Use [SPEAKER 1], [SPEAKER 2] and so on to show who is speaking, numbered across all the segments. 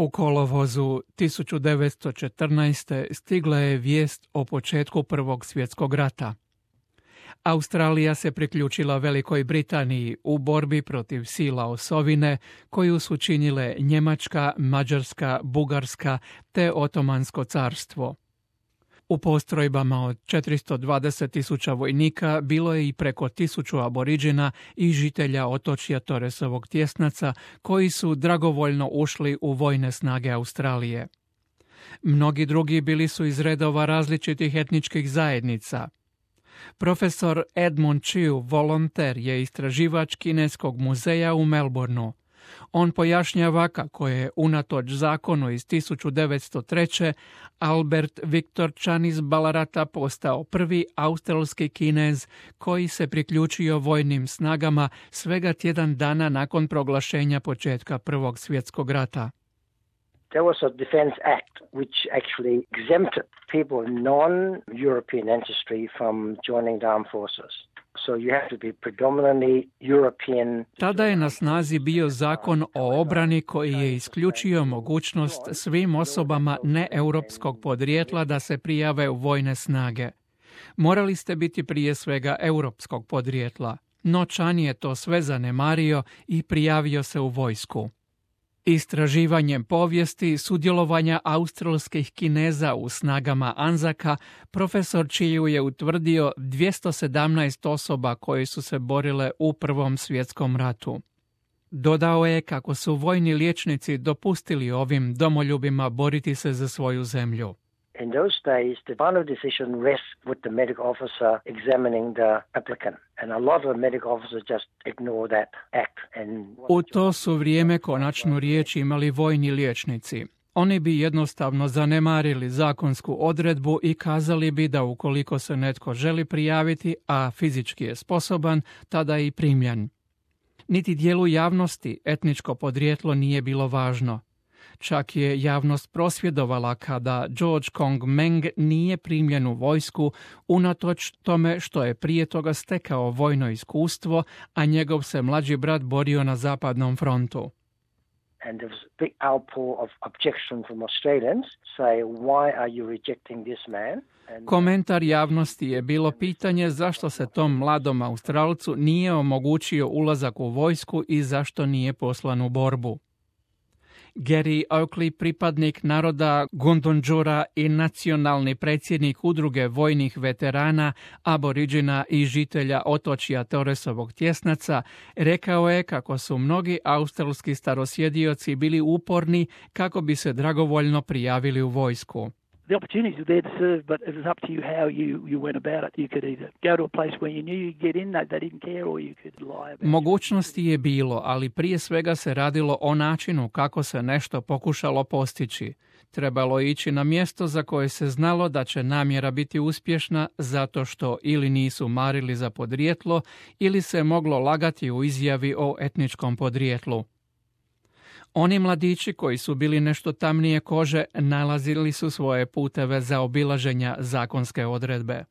[SPEAKER 1] U kolovozu 1914. stigla je vijest o početku Prvog svjetskog rata. Australija se priključila Velikoj Britaniji u borbi protiv sila osovine koju su činile Njemačka, Mađarska, Bugarska te Otomansko carstvo. U postrojbama od 420.000 vojnika bilo je i preko 1000 aboriđina i žitelja otočja Torresovog tjesnaca koji su dragovoljno ušli u vojne snage Australije. Mnogi drugi bili su iz redova različitih etničkih zajednica. Profesor Edmund Chiu, volonter, je istraživač Kineskog muzeja u Melbourneu. On pojašnjava kako je unatoč zakonu iz 1903. Albert Viktor Chan iz Balarata postao prvi australski Kinez koji se priključio vojnim snagama svega tjedan dana nakon proglašenja početka Prvog svjetskog rata.
[SPEAKER 2] There was a Defence Act which actually exempted people of non-European ancestry from joining the armed forces. So you have to be predominantly European.
[SPEAKER 1] Tada je na snazi bio zakon o obrani koji je isključio mogućnost svim osobama neeuropskog podrijetla da se prijave u vojne snage. Morali ste biti prije svega europskog podrijetla, no Chan je to sve zanemario i prijavio se u vojsku. Istraživanjem povijesti sudjelovanja australskih Kineza u snagama Anzaka, profesor Chiu je utvrdio 217 osoba koje su se borile u Prvom svjetskom ratu. Dodao je kako su vojni liječnici dopustili ovim domoljubima boriti se za svoju zemlju.
[SPEAKER 2] In those days, the final decision rests with the medical officer examining the applicant. And a lot of the medical officers just ignore that act.
[SPEAKER 1] U to su vrijeme konačnu riječ imali vojni liječnici. Oni bi jednostavno zanemarili zakonsku odredbu i kazali bi da ukoliko se netko želi prijaviti, a fizički je sposoban, tada je i primljen. Niti dijelu javnosti etničko podrijetlo nije bilo važno. Čak je javnost prosvjedovala kada George Kong Meng nije primljen u vojsku unatoč tome što je prije toga stekao vojno iskustvo, a njegov se mlađi brat borio na zapadnom frontu.
[SPEAKER 2] And there was a big outpour of objection from Australians, say, why are you rejecting this man?
[SPEAKER 1] Komentar javnosti je bilo pitanje zašto se tom mladom Australcu nije omogućio ulazak u vojsku i zašto nije poslan u borbu. Gary Oakley, pripadnik naroda Gundungura i nacionalni predsjednik udruge vojnih veterana, aboriđina i žitelja otočja Torresovog tjesnaca, rekao je kako su mnogi australski starosjedioci bili uporni kako bi se dragovoljno prijavili u vojsku.
[SPEAKER 3] The opportunities were there to serve, but it was up to you how you went about it. You could either go to a place where you knew you'd get in, they didn't care, or you could lie about it.
[SPEAKER 1] Mogućnosti je bilo, ali prije svega se radilo o načinu kako se nešto pokušalo postići. Trebalo je ići na mjesto za koje se znalo da će namjera biti uspješna zato što ili nisu marili za podrijetlo ili se moglo lagati u izjavi o etničkom podrijetlu. Oni mladići koji su bili nešto tamnije kože nalazili su svoje puteve za obilaženja zakonske odredbe.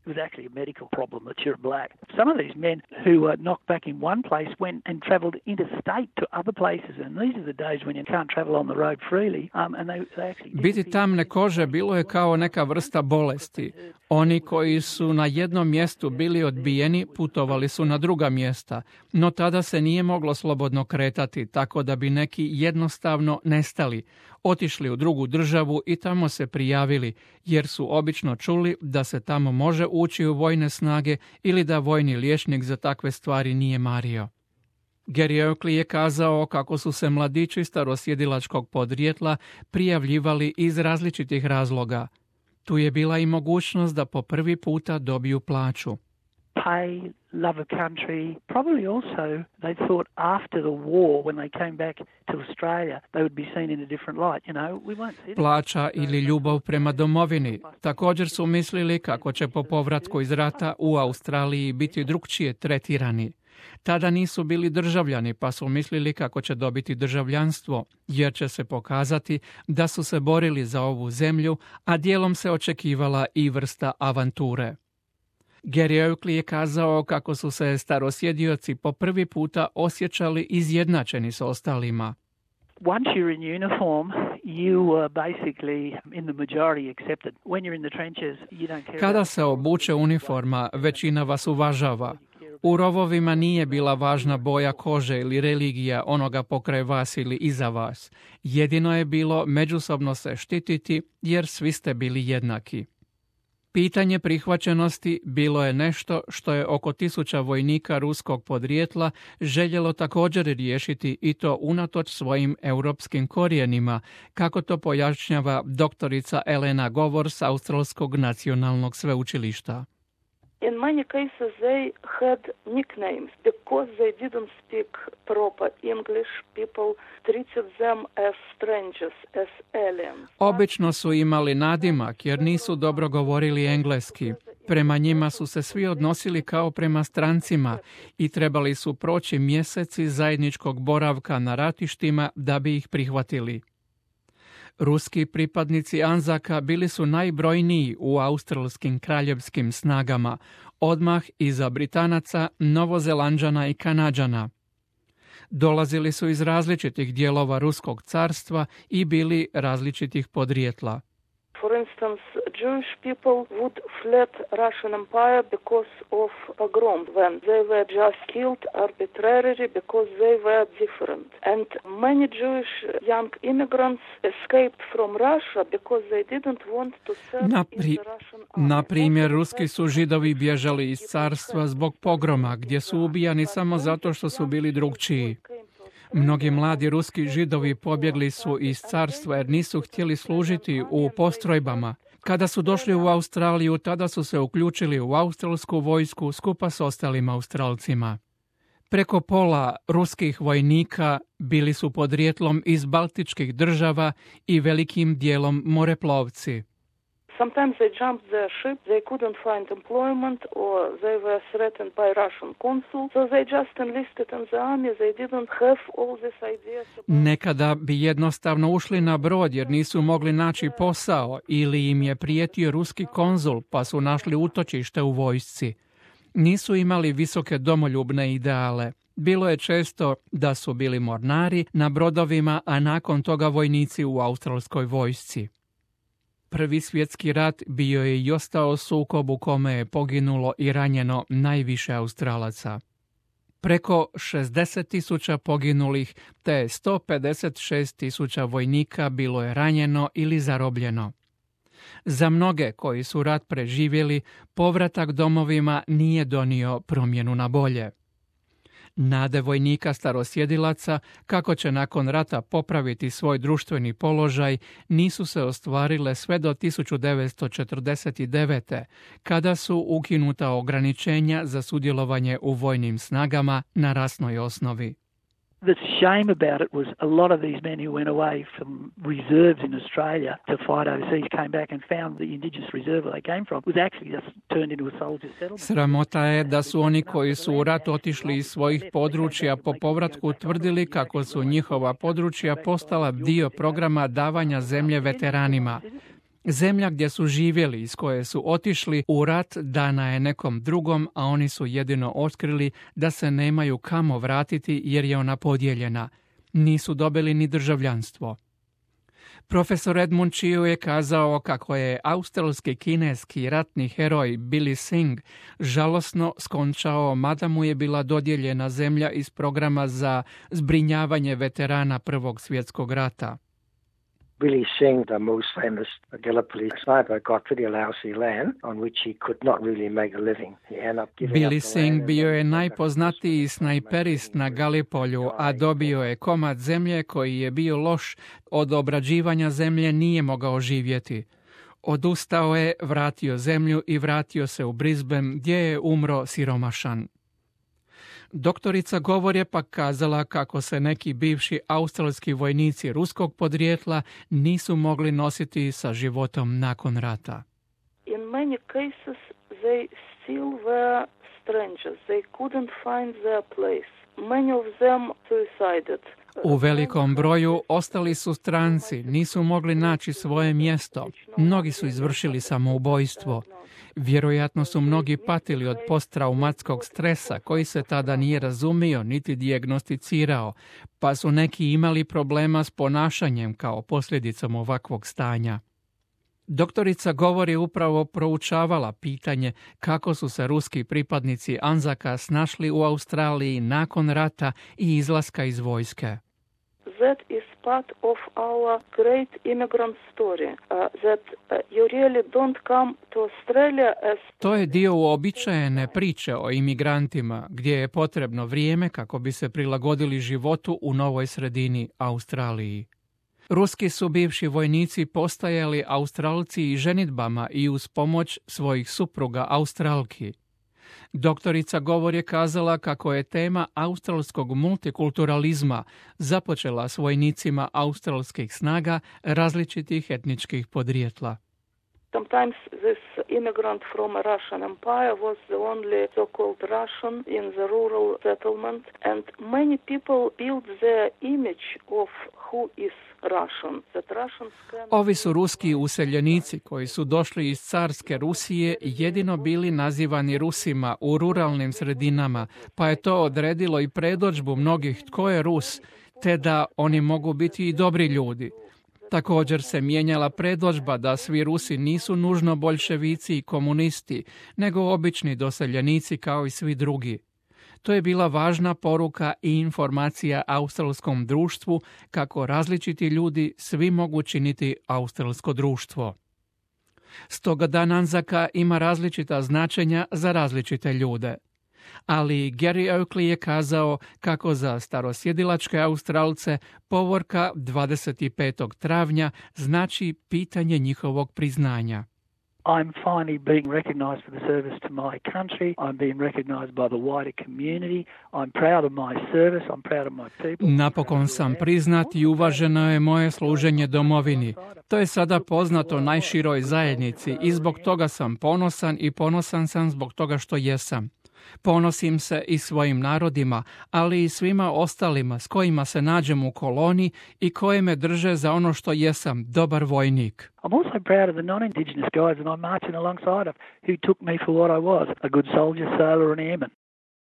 [SPEAKER 3] It was actually a medical problem that you're black. Some of these men who were knocked back in one place went and travelled interstate to other places, and these are the days when you can't travel on the road freely. And they actually
[SPEAKER 1] biti tamne kože bilo je kao neka vrsta bolesti. Oni koji su na jednom mjestu bili odbijeni putovali su na druga mjesta, no tada se nije moglo slobodno kretati, tako da bi neki jednostavno nestali, otišli u drugu državu i tamo se prijavili, jer su obično čuli da se tamo može ući u vojne snage ili da vojni liječnik za takve stvari nije mario. Gary Oakley je kazao kako su se mladići starosjedilačkog podrijetla prijavljivali iz različitih razloga. Tu je bila i mogućnost da po prvi puta dobiju plaću.
[SPEAKER 3] Pay, love of country, probably also they thought after the war when they came back to Australia they would be seen in a different light, you know. We won't.
[SPEAKER 1] Plaća ili ljubav prema domovini. Također su mislili kako će po povratku iz rata u Australiji biti drukčije tretirani. Tada nisu bili državljani, pa su mislili kako će dobiti državljanstvo, jer će se pokazati da su se borili za ovu zemlju, a dijelom se očekivala i vrsta avanture. Gary Oakley je kazao kako su se starosjedioci po prvi puta osjećali izjednačeni s ostalima.
[SPEAKER 3] Once you're in uniform, you are basically in the majority accepted. When you're in the trenches, you don't care.
[SPEAKER 1] Kada se obuče uniforma, većina vas uvažava. U rovovima nije bila važna boja kože ili religija onoga pokraj vas ili iza vas. Jedino je bilo međusobno se štititi jer svi ste bili jednaki. Pitanje prihvaćenosti bilo je nešto što je oko 1000 vojnika ruskog podrijetla željelo također riješiti i to unatoč svojim europskim korijenima, kako to pojašnjava doktorica Elena Govor s Australskog nacionalnog sveučilišta.
[SPEAKER 4] In many cases they had nicknames because they didn't speak proper English. People treated them as strangers, as aliens.
[SPEAKER 1] Obično su imali nadimak jer nisu dobro govorili engleski. Prema njima su se svi odnosili kao prema strancima i trebali su proći mjeseci zajedničkog boravka na ratištima da bi ih prihvatili. Ruski pripadnici Anzaka bili su najbrojniji u australskim kraljevskim snagama, odmah iza Britanaca, Novozelanđana i Kanađana. Dolazili su iz različitih dijelova Ruskog carstva i bili različitih podrijetla.
[SPEAKER 4] For instance, Jewish people would fled Russian Empire because of pogrom, when they were just killed arbitrarily because they were different. And many Jewish young immigrants escaped from Russia because they didn't want to serve in the Russian army.
[SPEAKER 1] Na primjer, ruski su Židovi bježali iz carstva zbog pogroma, gdje su ubijani samo zato što su bili drukčiji. Mnogi mladi ruski Židovi pobjegli su iz carstva jer nisu htjeli služiti u postrojbama. Kada su došli u Australiju, tada su se uključili u australsku vojsku skupa s ostalim Australcima. Preko pola ruskih vojnika bili su podrijetlom iz baltičkih država i velikim dijelom moreplovci.
[SPEAKER 4] Sometimes they jumped their ship, they couldn't find employment or they were threatened by Russian consul, so they just enlisted in the army, they didn't have all these ideas about...
[SPEAKER 1] Nekada bi jednostavno ušli na brod jer nisu mogli naći posao ili im je prijetio ruski konzul pa su našli utočište u vojsci. Nisu imali visoke domoljubne ideale. Bilo je često da su bili mornari na brodovima, a nakon toga vojnici u australskoj vojsci. Prvi svjetski rat bio je i ostao sukob u kome je poginulo i ranjeno najviše Australaca. Preko 60.000 poginulih te 156.000 vojnika bilo je ranjeno ili zarobljeno. Za mnoge koji su rat preživjeli, povratak domovima nije donio promjenu na bolje. Nade vojnika starosjedilaca, kako će nakon rata popraviti svoj društveni položaj, nisu se ostvarile sve do 1949. kada su ukinuta ograničenja za sudjelovanje u vojnim snagama na rasnoj osnovi.
[SPEAKER 3] The shame about it was a lot of these men who went away from reserves in Australia to fight overseas came back and found the indigenous reserve where they came from was actually just turned into a soldier settlement.
[SPEAKER 1] Sramota je da su oni koji su u rat otišli iz svojih područja po povratku tvrdili kako su njihova područja postala dio programa davanja zemlje veteranima. Zemlja gdje su živjeli, iz koje su otišli u rat, dana je nekom drugom, a oni su jedino otkrili da se nemaju kamo vratiti jer je ona podijeljena. Nisu dobili ni državljanstvo. Profesor Edmund Chiu je kazao kako je australski kineski ratni heroj Billy Singh žalosno skončao mada mu je bila dodijeljena zemlja iz programa za zbrinjavanje veterana Prvog svjetskog rata.
[SPEAKER 2] Billy Singh, the most famous Gallipoli sniper, got pretty lousy land on which he could not really make a living. He ended up giving
[SPEAKER 1] Billy
[SPEAKER 2] up the
[SPEAKER 1] Singh
[SPEAKER 2] land
[SPEAKER 1] bio je najpoznatiji snajperist na Galipolju, a dobio je komad zemlje koji je bio loš, od obrađivanja zemlje nije mogao živjeti. Odustao je, vratio zemlju i vratio se u Brisbane gdje je umro siromašan. Doktorica Govor je pak kazala kako se neki bivši australski vojnici ruskog podrijetla nisu mogli nositi sa životom nakon rata.
[SPEAKER 4] In many cases they still were strangers. They couldn't find their place. Many of them suicided.
[SPEAKER 1] U velikom broju ostali su stranci, nisu mogli naći svoje mjesto. Mnogi su izvršili samoubojstvo. Vjerojatno su mnogi patili od posttraumatskog stresa koji se tada nije razumio niti dijagnosticirao, pa su neki imali problema s ponašanjem kao posljedicom ovakvog stanja. Doktorica Govor je upravo proučavala pitanje kako su se ruski pripadnici Anzaka snašli u Australiji nakon rata i izlaska iz vojske.
[SPEAKER 4] That is part of our great immigrant story, that you really don't come to Australia as...
[SPEAKER 1] To je dio uobičajene priče o imigrantima, gdje je potrebno vrijeme kako bi se prilagodili životu u novoj sredini Australiji. Ruski su bivši vojnici postajali Australci i ženidbama i uz pomoć svojih supruga Australki. Doktorica Govor je kazala kako je tema australskog multikulturalizma započela s vojnicima australskih snaga različitih etničkih podrijetla.
[SPEAKER 4] Sometimes this immigrant from a Russian empire was the only so-called Russian in the rural settlement, and many people built their image of who is Russian. That Russians can...
[SPEAKER 1] Ovi su ruski useljenici koji su došli iz carske Rusije jedino bili nazivani Rusima u ruralnim sredinama, pa je to odredilo i predodžbu mnogih tko je Rus, te da oni mogu biti i dobri ljudi. Također se mijenjala predodžba da svi Rusi nisu nužno boljševici i komunisti, nego obični doseljenici kao i svi drugi. To je bila važna poruka i informacija australskom društvu kako različiti ljudi svi mogu činiti australsko društvo. Stoga Dan Anzaka ima različita značenja za različite ljude. Ali Gary Oakley je kazao kako za starosjedilačke Australce povorka 25. travnja znači pitanje njihovog priznanja.
[SPEAKER 3] I'm finally being recognized for the service to my country. I'm being recognized by the wider community. I'm proud of my service. I'm proud of my people.
[SPEAKER 1] Napokon sam priznat i uvaženo je moje služenje domovini. To je sada poznato najširoj zajednici i zbog toga sam ponosan i ponosan sam zbog toga što jesam. Ponosim se i svojim narodima, ali i svima ostalima s kojima se nađem u koloni i koje me drže za ono što jesam, dobar vojnik.
[SPEAKER 3] I'm also proud of the non-Indigenous guys that I'm marching alongside of, who took me for what I was, a good soldier, sailor and airman.